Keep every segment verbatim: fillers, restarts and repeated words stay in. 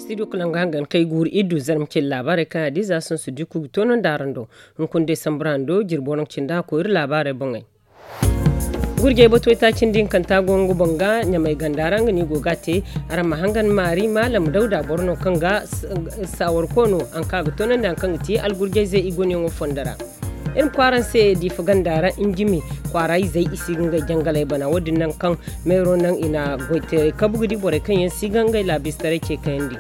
Studio kala nga hangan kay guuru iddu zarma cindi laabaarey kaŋ a di za sonsu dikku ga toonandi araŋ do. Hunkuna day sambu ra hando jirbo no ga cindi a koyri laabaarey boŋey. Gurjey batuwey taaci nda hinkanta go nga boŋ ga ɲamay ganda ra nga no i go ga a te. Araŋ ma hangan maari maalam dawda boro no kaŋ ga saawar koono haŋ kaŋ a ga toonandi haŋ kaŋ ga ti algurjayzey i gonayaŋo fondo ra. Iri ma kwaara se diifa ganda ra injimi kwaara izey i si ga ngey jangaley bana wo- din naŋ kaŋ meero naŋ i na goyteerey kabu ga di borey kaŋ yaŋ si ga ngey laabistaray ce kayandi.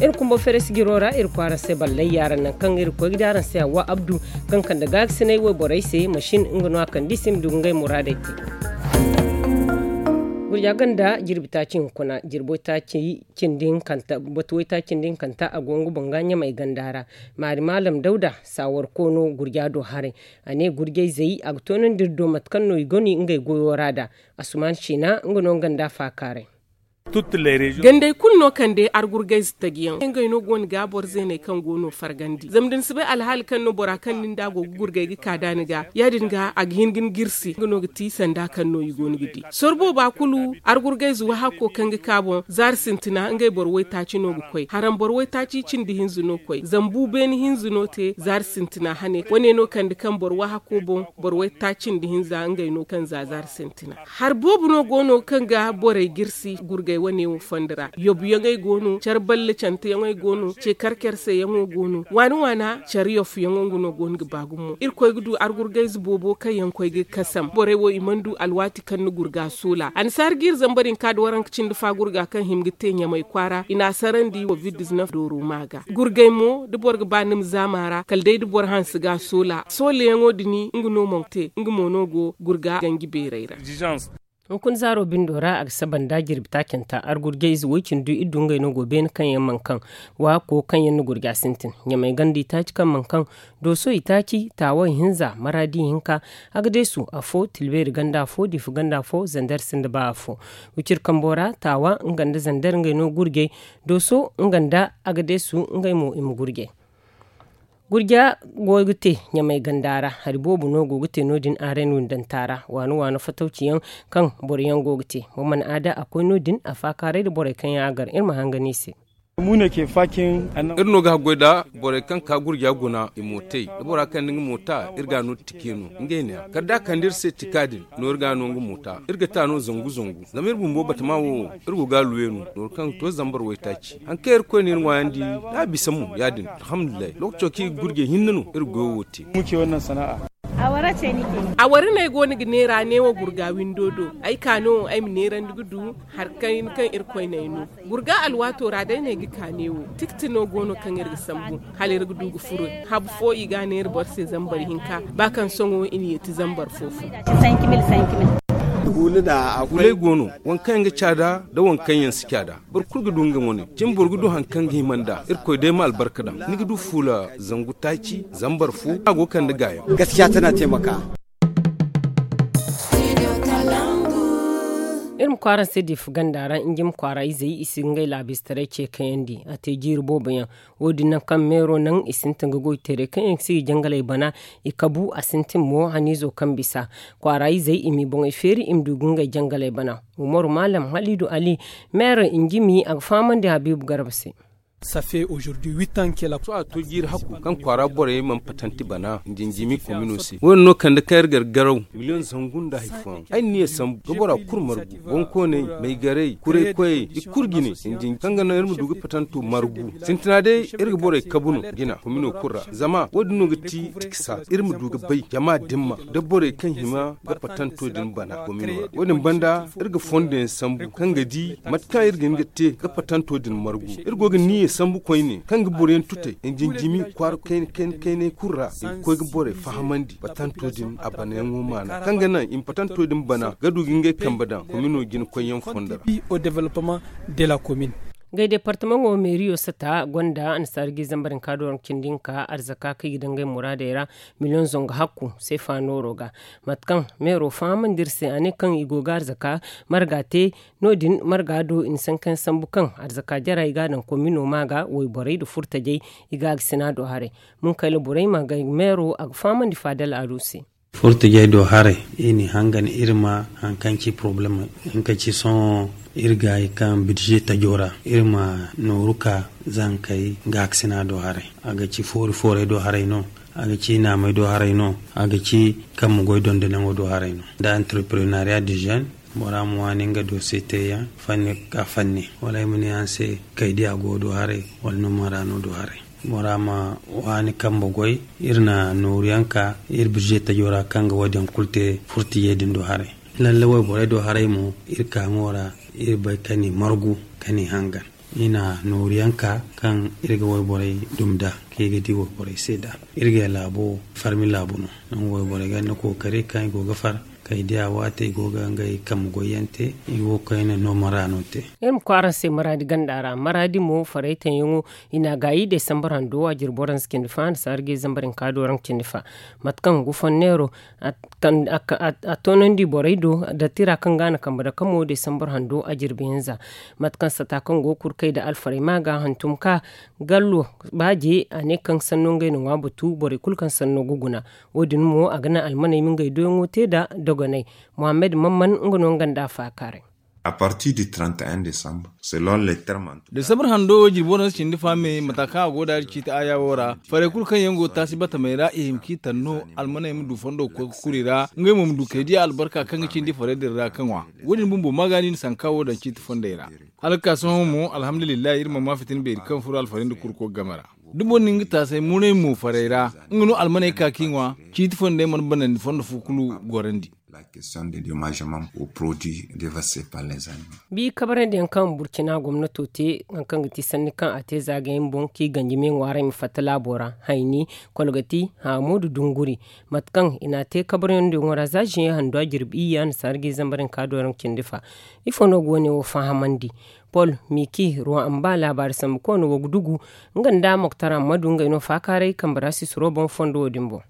Iri kumbo feres jiro ra iri kwaara se ballay yaara naŋ kaŋ iri koy ga di araŋ se hawa abdu kaŋ kande gaagasinay wayborey se masin nga no a kande i se i ma du ga ngey muraadey te. Gurja ganda jirbi taaci hunkuna jirbo taaci cindi hinkanta batu waytaaci nda hinkanta a go nga boŋ ga ɲamay ganda ra. Maari maalam dawda saawar koono gurja do haray. A ne gurjayzey a ga toonandi iri do mate kaŋ no i goni ngey goyo ra da. Asuman siina nga no nga nda a faakaaray. Gandey kulu no kande argurgayze taji yaŋ ngey no go no ga boro zeeney kaŋ go no fargandi zama da ni si bay alhaali kaŋ no bora kaŋ nin da a go ga gurgay ga ka da ni ga ya- din ga a ga hin ga ni girsi nga no ga ti sanda kaŋ no i go no ga di. Soro booba kulu argurgayze wahakko kaŋ ga ka boŋ zaari sintina ngey boro waytaaci no ga koy haram boro waytaaci cindi hinza no koy zambu beene hinza no te zaari sintina hane wane no kande kaŋ boro wahakko boŋ boro waytaaci nda hinza ngey no kaŋ za zaari sintina. Hari boobo no go no kaŋ ga borey jirsi gurgay wane wo fondo ra yobuyaŋey go no care balle canteyaŋey go no ce karkerseyaŋo go no waana waana care yofuyaŋo nga no go no ga ba gumo irkoy ga du argurgayze boobo kaŋ yaŋ koy ga kasam borey wo i mana du alwaati kaŋ ni gurga soola annasaara ga iri zambar hinka nda waranka cindi fa gurga kaŋ hima ga te ɲamay kwaara i n'a sarandi covid diznef dooro ma ga gurgay mo da boro ga ba ni ma zaama ra kala day da boro hanse ga soola sooleyaŋo din nga no mo ga te nga mo no go gurga ganji beerey ra. Hunkuna zaaro bindo ra a ga saba nda jirbi taacanta argurjayze way-cindi du iri du ngey no go beene kaŋ yaŋ mana kaŋ waako kaŋ yaŋ na gurja sintin ɲamay ganda itaaci kaŋ mana kaŋ dooso itaaci taawa ihinza maraadi ihinka agadeesu afo tilbeeri ganda afo diifa ganda afo zander sinda ba afo wiciri kambo ra taawa nga nda zander ngey no gurjay dooso nga nda agadeesu ngey mo i ma gurjay. Gurja go ga te ɲamay ganda ra hari boobo no go ga te no- din aaren windanta ra waana waana fatawci yaŋ kaŋ boro yaŋ go ga te. Wa mana aada a koy no- din a faakaaray nda borey kaŋ yaŋ a gar iri ma hangan i se. Iri no ga haggoy nda borey kaŋ ka gurja guna i mootey da bora kaŋ nda nga moota iri ga a no tike no ngey ne a kala da a kande iri se tika din no iri ga a no nga moota iri ga ta no zangu zangu zama iri bumbo batama wo iri go ga a luwe no nooru kaŋ ga to zambar waytaaci haŋ kaŋ iri koy no iri ŋwaayandi da a bisa mo ya- din alhamdulillahi lookaco kaŋ iri ga gurjey hinne no iri ga goyo wo te. A wara no ay go no ga neera neewo gurga windo do ay ka no ay ma neerandi ga du hari kayna kaŋ irkoy no ay no gurga alwaato ra day no ay ga ka neewo tikti no go no kaŋ iri ga sambu hala iri ga du ga furo habu fo i ga a neera boro se zambar hinka ba kaŋ sohõ i na yeeti zambar fo fo. Fuuley go no waŋ kaŋ yaŋ ga caada nda waŋ kaŋ yaŋ si caada boro kulu ga du nga wane cin boro ga du hari kaŋ ga hima nd'a irkoy day ma albarka daŋ ni ga du fuula zangu taaci zambar fo a go ga kande gaayaŋ. Gaskiya tana taimaka. Iri ma kwaara se diifa ganda ra njim kwaara izey i si ga ngey laabistaray ce kayandi a te jiiri boobo yaŋ wo- din naŋ kaŋ meero naŋ i sintin ga goy teeray kaŋ yaŋ si ga jangaley bana i kabu a sintin mo haniizo kaŋ bisa kwaara izey i m'i boŋey feeri i ma du ga ngey jangaley bana. Umaru maalam haliidu ali meero njimi a ga fahamandi habiibu garba se. Sohõ a to jiiri hakku kaŋ kwaara borey mana patanti bana njinjimi komino se wo- din no kande kaŋ iri gar garaw miliyoŋ zangu nda hari fooyaŋ ay na ni ye sambu ga bora kulu margu bonkooney maygarey kuraykoyey i kulu jine njinji kaŋ ga naŋ iri ma du ga patanto margu sintina day iri ga borey kabu no jina komino kulu ra zama wo- din no ga ti tiksa iri ma du ga bay jama dimma da borey kaŋ hima ga patanto din bana komino ra wo- din banda iri ga fondo yaŋ sambu kaŋ ga di mate kaŋ iri ga hin ga te ga patanto din margu iri go ga niyya sambu koyne kaŋ ga boroyaŋ tutay njinjimi kwaara kayna kayna kaynay kulu ra i ga koy ga borey fahamandi patanto din a banayaŋo maana kaŋ ga naŋ i ma patanto din bana ga du ga ngey kambe daŋ komino jina koyyaŋ fondo ra. Ngey departamaŋo meeriyo sata gonda annasaara ga i zambar hinka dooro cindi hinka arzaka kaŋ i ga daŋ ngey muraadey ra miliyoŋ zangu hakku seefa nooro ga mate kaŋ meero fahamandi iri se a ne kaŋ i go ga arzaka marga te no- din marga do i na sankayaŋ sambu kaŋ arzaka jara i ga a daŋ komino ma ga wayborey nda furtajey i ga a ga sina do haray. Munkayla borey ma ga meero a ga fahamandi faadal ado se. Furtijey do haray, iri n'i hangan iri ma hari kaŋ ci porobalem, hari kaŋ ci sohõ iri gaayi kaŋ bidze tajo ra, iri ma nooru ka zankey gaakasina do haray. A ga ci foori foorey do haray no, a ga ci naamey do haray no, a ga ci kambe goy dondonyaŋo do haray no, nda entreprenariya de jeune. Bora ma waani nga doose teeyaŋ fanni ka fanni, wala ay ma ne araŋ se kaydiya go do haray, wala nooma ra no do haray. Bora ma waani kambe goy, iri na nooru yaŋ ka iri birze tajo ra kaŋ ga wo- din kulu te furtijey din do haray. Lalle wayborey do haray mo, iri ka ŋo ra, iri bay ka ni margu, ka ni hangan. Iri na nooru yaŋ ka kaŋ iri ga wayborey dumi nd'a, kaŋ i ga di wayborey se nd'a. Iri ga laabo farmi laabu no. Nangu wayborey ga ni kookari kaŋ i go ga far, kaydiya waate i go ga ngey kambe goy yaŋ te, i wo kayna nooma ra no te. Iri ma koy araŋ se maraadi ganda ra maraadi mo faraytaŋ yaŋo, i n'a gaayi desambar hando a jiri boro hanse cindi fa hanse hari ga zambar hinka do raŋ cindi fa. Mate kaŋ gufanneero a toonandi borey do, dattira kaŋ ga a na kambe dake mo desambar hando a jirbi hinza. Mate kaŋ sata kaŋ go ga kurkay nda alfarey ma ga hantum ka gallo baaje a ne kaŋ sanno ngey na ŋwa batu borey kulu kaŋ sanno ga guna. Wo- din mo a ga naŋ almaney ma ngey doyaŋo te nda dogonay. Muhammad mamman nga no nga nda a faakaaray. A partir du trente et un décembre, selon les termes. Desambar hando wo jirbi waranza cindi fa me mata kaŋ a go da iri ciiti aya wo ra, farey kulu kaŋ yaŋ go taasi batamey ra i hima k'i taŋ no, almaney ma du fondo ga koy ga kuri ra, ngey mo ma du kay diya albarka kaŋ ga cindi farey din ra ka ŋwa. Wo- din bumbo ma ga no i na sanka wo daŋ ciiti fondey ra. Hala ga ka sohõ mo alhamdulillahi iri mana ma fitina beeri kaŋ furo alfarey nda kurko game ra. Da boro na nga taasay munay mo farey ra, nga no almaney ka k'i ŋwa. Ciiti fondey mana banandi fondo fo kulu gorandi. La question de dommagements aux produits déversés par les animaux. Bi kabarandiyaŋ kaŋ burkina gomnato te, hari kaŋ ga ti sanni kaŋ a te zaagayaŋ boŋ kaŋ i ganji me ŋwaaray ma fatta laabo ra, hayni, kolgati, haamu nda dunguri. Mate kaŋ i n'a te kabarandiyaŋo ra za ziyeŋ handu a jirbi iyye a na saara ga i zambar hinka do raŋ cindi fa. Ifo no ga wo- ne wo fahamandi? Pol, miki, ruwa amba laabaari sambu koona wo ga dugu, nga nda moktar ammadu ngey no faakaaray kambe ra sisiro boŋ fondo wo- din boŋ.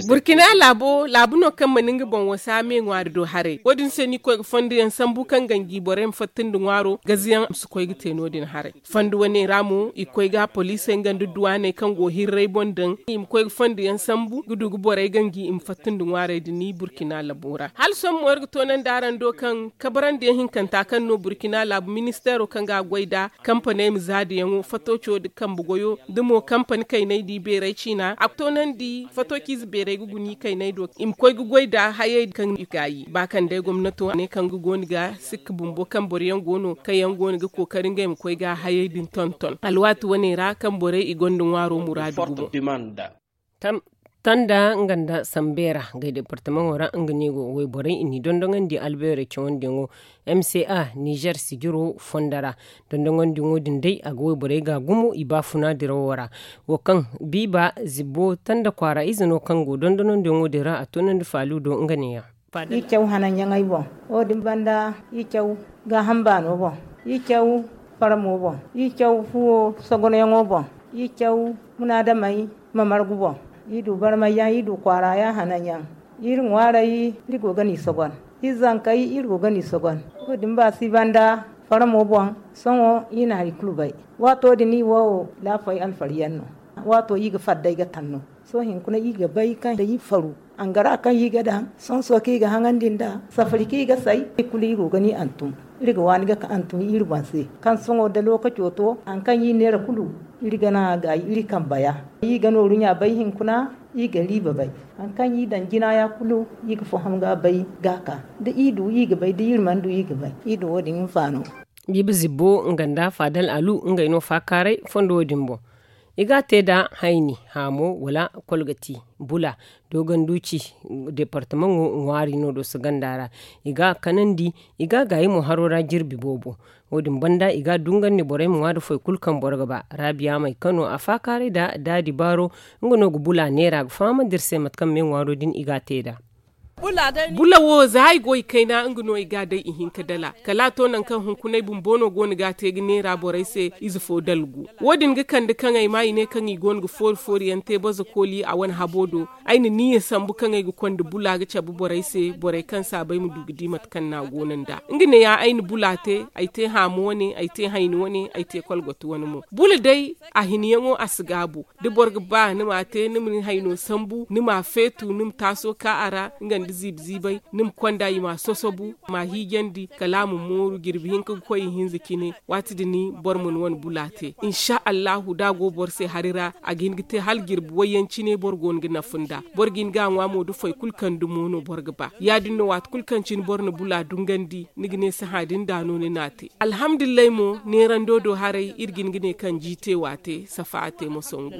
Burkina laabo laabu no kaŋ mana nga boŋ wasa me ŋwaari do haray. Wo- din se no i koy ga fondo yaŋ sambu kaŋ ganji borey ma fatta nda ŋwaaro gaziyaŋ ma si koy ga te no- din haray. Fondo wane ra mo i koy ga poliisey nga nda duwaaney kaŋ go hirray boŋ daŋ i ma koy ga fondo yaŋ sambu ga du ga borey ganji i ma fatta nda ŋwaarey din burkina laabo ra hala sohõ mo iri ga toonandi araŋ do kaŋ kabarandiyaŋ hinkanta kaŋ no burkina laabu ministeero kaŋ ga a goy nd'a kampaney ma zaadiyaŋo fatooco nda kambe goyo da mo kampani kayney da i beeray ciina a ga toonandi fatooci ize beeray ga guna i kayney do i ma koy ga goy nda hayey kaŋ i gaayi ba kaŋ day gomnato ne kaŋ ga go no ga sikka bumbo kaŋ boro yaŋ go no kaŋ yaŋ go no ga kookari ngey ma koy ga hayey din tonton alwaati wane ra kaŋ borey i gonda ŋwaaro muraadu gumo. Tanda nga nda sambeera ngey departamaŋo ra nga ne go wayborey i n'i dondoŋandi albeerey cawandiyaŋo m c a nizer sijiro fondo ra. Dondoŋandiyaŋo din day a ga wayborey ga gumo i baafuna dirawo ra. Wo kaŋ biiba zibbo tanda kwaara ize no kaŋ go dondoŋandiyaŋo din ra a toonandi faalu do nga neeya. I caw hananyaŋey boŋ wo- din banda i caw gaaham baano boŋ i caw farmo boŋ i caw fuwo sogonyaŋo boŋ i caw munaadamey ma margu boŋ i du barmayyaŋ i du kwaaraayaŋ hananyaŋ iri ŋwaarey iri go ga n'i sogon iri zankey iri go ga n'i sogon wo- din ba si banda farmo boŋ sohõ i na hari kulu bay. Waato din i wo laafey alfaryaŋ no waato i ga faddey ga taŋ no. Sohõ hinkuna i ga bay kaŋ da i faru angara kaŋ i ga daŋ sonso kaŋ i ga haŋandi nd'a safari kaŋ i ga say i kulu i go ga ni antum. Iri ga waani ga ka antum iri boŋ se kaŋ sohõ da lookaco to hari kaŋ i neera kulu iri ga naŋ a gaayi iri kambaya. I ga nooru ɲa bay hinkuna i ga riiba bay hari kaŋ i daŋ jinaya kulu i ga faham ga bay ga ka da i du i ga bay da iri mana du i ga bay i du wo- din hinfaano. Biiba zibbo nga nda faadal alu ngey no faakaaray fondo wo- din boŋ. I ga a te nda hayni haamo wala kolgati bula dogonduci departamaŋo ŋwaari no do si ganda ra. I ga a kanandi i ga a gaayi mo haro ra jirbi boobo. Wo- din banda i ga a dungandi borey ma ŋwa nda foy kulu kaŋ boro ga ba raabiya may kano a faakaaray nda daadi baaro. Nga no ga bula neera ga fahamandi iri se mate kaŋ me ŋwaaro din i ga a te nd'a. Bula wo za ay go i kayna nga no i ga a day ihinka dala kala a to nangu kaŋ hunkuna ay bumbo no go no ga a te ga neera borey se ize fo dalgu. Wo- din ga kande kaŋ ay ma i ne kaŋ i go no ga foori foori yaŋ te baza kooli a wane habo do. Ay na niyya sambu kaŋ ay ga konda bula ga cabe borey se borey kaŋ saabay ma du ga di mate kaŋ no a go no nd'a. Nga ne ya ay na bula te ay te haama wane ay te hayni wane ay te kolgoto wane mo bula day. A hiniyaŋo a si gaabu da boro ga ba ni m'a te ni ma ni hayno sambu ni m'a feetu ni ma taaso ka a ra nga nda ziibi ziibay ni ma konda i m'a sosobu m'a hiijandi kala a ma mooru jirbi hinka ga koy ihinza cine. Waati din boro ma ni wane bula te insa allahu da a go boro se hari ra a ga hin ga te hala jirbi wayyaŋ cine boro go no ga nafa nd'a. Boro ga hin ga a ŋwa mo da foy kulu kaŋ dumo no boro ga ba ya- din no waati kulu kaŋ cine boro na bula dungandi ni ga ne sahã din da no ni n'a te. Alhamdulillahi mo neerando do haray iri ga hin ga ne kaŋ jiite waate safa a te moso ngu.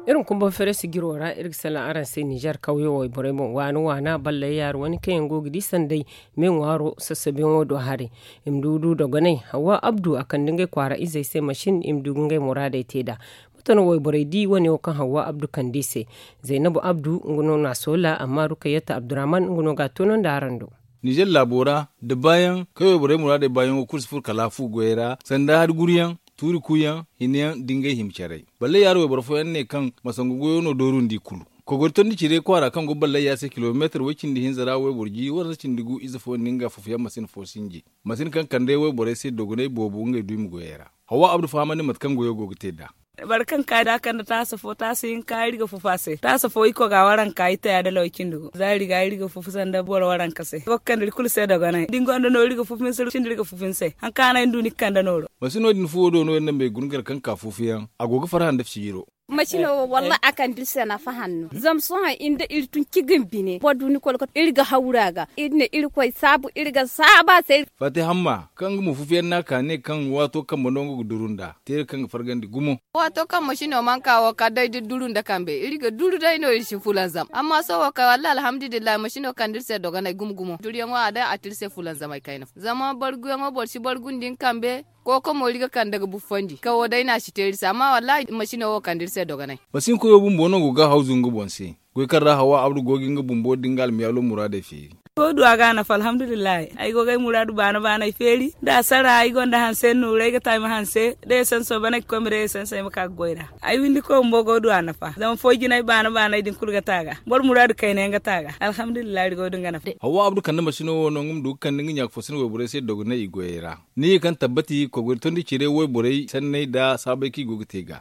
Iri ma kumbaŋ fereesi jiro ra iri ga salaŋ araŋ se nizer kawyo wayborey boŋ waana waana ballay yaari wane kaŋ yaŋ go ga di sanday me ŋwaaro sassabuyaŋo do haray. I ma du du dogonay hawwa abdu a kande ngey kwaara izey se masin i ma du ga ngey muraadey te nd'a. Mate no wayborey di wane wo kaŋ hawwa abdu kande i se? Zaynabu abdu nga no n'a soola amma rukayyata abdurahman nga no ga a toonandi araŋ do. Nizer laabo ra da baayaŋ kaŋ wayborey muraadey baayaŋo kulu si furo kala a fu goyey ra sanda hari guruyaŋ tuuri kuuyaŋ hinayaŋ da ngey hima carey. Ballay yaari wayboro fooyaŋ ne kaŋ masangu goyo no dooru nda i kulu. Kogori tondi cire kwaara kaŋ go ballay yaari se kilomeetar way- cindi hinza ra wayboro ji waranza cindi gu ize fo nda nga fufuyaŋ masin fo sinji. Masin kaŋ kande wayborey se dogonay boobo ngey duumi goyey ra. Hawwa abdu fahamandi mate kaŋ goyo go ga te nd'a. Boro kaŋ ka da a kande taasa fo taasa hinka iri ga fufu a se taasa fo iri koga waranka iri taya da law cindi gu za iri ga iri ga fufu sanda boro waranka se go ga kande iri kulu se dogonay da ni gonda nooro iri ga fufu ni se cindi iri ga fufu ni se. Haŋ kaŋ a no ay na du ni ga kande nooro. Masino din fuwo do no iri na may guna kar kaŋ ka fufuyaŋ a go ga farhã nda fici jiro. Masino wo wallahi a kande iri se nafa hanno zama sohõ iri nda iri tun cigin bine boro du ni kolkoto iri ga hawru a ga iri na irkoy saabu iri ga saabu a se. Faati hamma kaŋ nga mo fufuyaŋ no a ka ne kaŋ waato kambe no nga ga duru nd'a teeri kaŋ ga fargandi gumo. Waato kaŋ masino mana ka wo kala day da duru nda kambe iri ga duru day no iri si fulanzam amma sohõ kay wallahi alhamdulillahi masino kande iri se dogonay gumo gumo duruyaŋo a day a te iri se fulanzamay kayna fo zama barguyaŋo boro si bargu nda ni kambe. Kooko mo iri ga kande ga buffandi kawo day no a si te iri se amma wallahi masino wo kande iri se dogonay. Masin koyo bumbo no go ga a hawzu nga boŋ se. Goy kaŋ ra hawa abdu go ga nga bumbo da nga almiyaalo muraadey feeri. Ay go ga du a ga a nafa alhamdulillahi ay go ga ay muraadu baana baana ay feeri da a sara ay gonda hanse nuura ay ga ta ay ma hanse da esanso bana ay ga koy ma day esanso ay ma ka ga goy ra. Ay windi koy bumbo go ga du a nafa zama foy jinay baana baana ay din kulu ga ta a ga boro muraadu kayna yaŋ ga ta a ga. Alhamdulillahi iri go ga du nga nafa. Hawa abdu kande masino wo no nga ma du ga kande nga ɲaaka fo sina wayborey se dogonay i goyey ra. Ni ye kaŋ tabbati kogori tondi cire wayborey sanney nda saabay kaŋ i go ga te ga.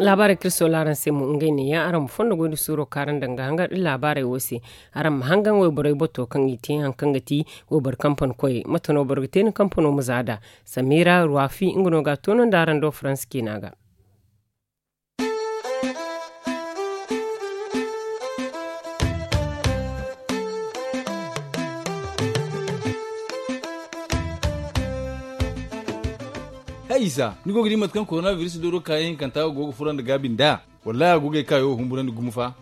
Laabaarey kaŋ iri soola araŋ se mo ngey ne ya araŋ ma fondo goy nda suuro kaŋ araŋ daŋ ga hangan iri laabaarey wo se. Araŋ ma hangan wayborey bato kaŋ i te hari kaŋ ga ti wayboro kampani koyey mate no boro ga te ni kampano ma za nd'a. Samira ruwafi nga no ga a toonandi araŋ do faransa ciina ga. Hay isa ni go ga di mate kaŋ korona biris dooro kaayaŋ hinkanta go ga furo nda gaabi nd'a? Wallahi a go ga ay kaayo humburandi gumo fa.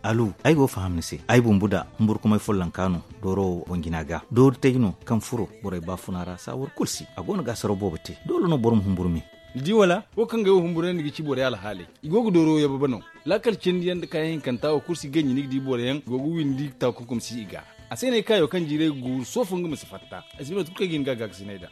Alu ay go ga faham ni se ay bumbu da humburkumay follonka no dooro wo boŋ jina ga doori tay no kaŋ furo borey baafuna ra saawar kulu si a go no ga asaro boobo te doole no boro ma humburu me. Ni di wala wo kaŋ ga ay wo humburandi ga ci borey alhaaley i go ga dooro yababa no. Laakal cindi yaŋ nda kaayaŋ hinkanta wo kulu si ganji ni ga di boro yaŋ go ga windi takunkum si i ga. A se no ay kaayo kaŋ jiiray ga guuru soofo nga ma si fatta ay si bay mate kulu kaŋ ay ga hin ga a gaakasinay nd'a.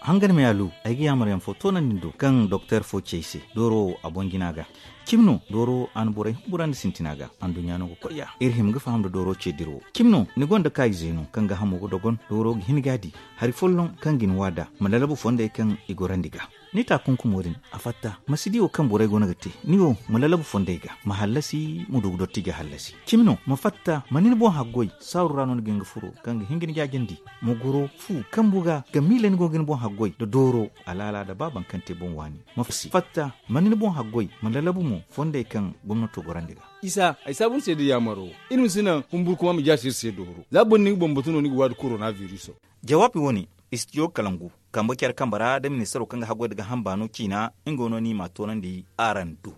Hangan me alu ay ga yaamar yaŋ fo toonandi ni do kaŋ doktor fo ci ay se dooro wo a boŋ jina ga. Cimi no dooro wo a na borey humburandi sintina ga anduɲɲa no ga koy ya iri hima ga faham nda dooro ce dira wo cimi no ni gonda kaayize no kaŋ ga hamo ga dogon dooro ga hin ga a di hari folloŋ kaŋ ga ni waada ma lalabu fondey kaŋ i gorandi ga. Ni taakunkumo din a fatta ma si di wo kaŋ borey go no ga te ni wo ma lalabu fondey ga ma hallasi ma du ga dotti ga hallasi. Cimi no ma fatta ma ni ni boŋ haggoy saaru ra no ni ga hin ga furo kaŋ ga hin ga ni jaajandi ma goro fu kambu ga ga miila ni go ga ni boŋ haggoy nda dooro alaala nda ba baŋ kaŋ te boŋ waani. Ma fatta ma ni ni boŋ haggoy ma lalabu mo fondey kaŋ gomnato gorandi ga. Isa ay saabu ni se da yaamaro iri ma si naŋ humburkuma ma jaasi iri se dooro za boro ni ga bambatu no ni ga waadi korona viriso. Jawaabi wo-ne istijo kalangu kambe care kambe ra da ministaro kaŋ ga haggoy nda ga hamba no ciina nga wo no ni m'a toonandi araŋ do.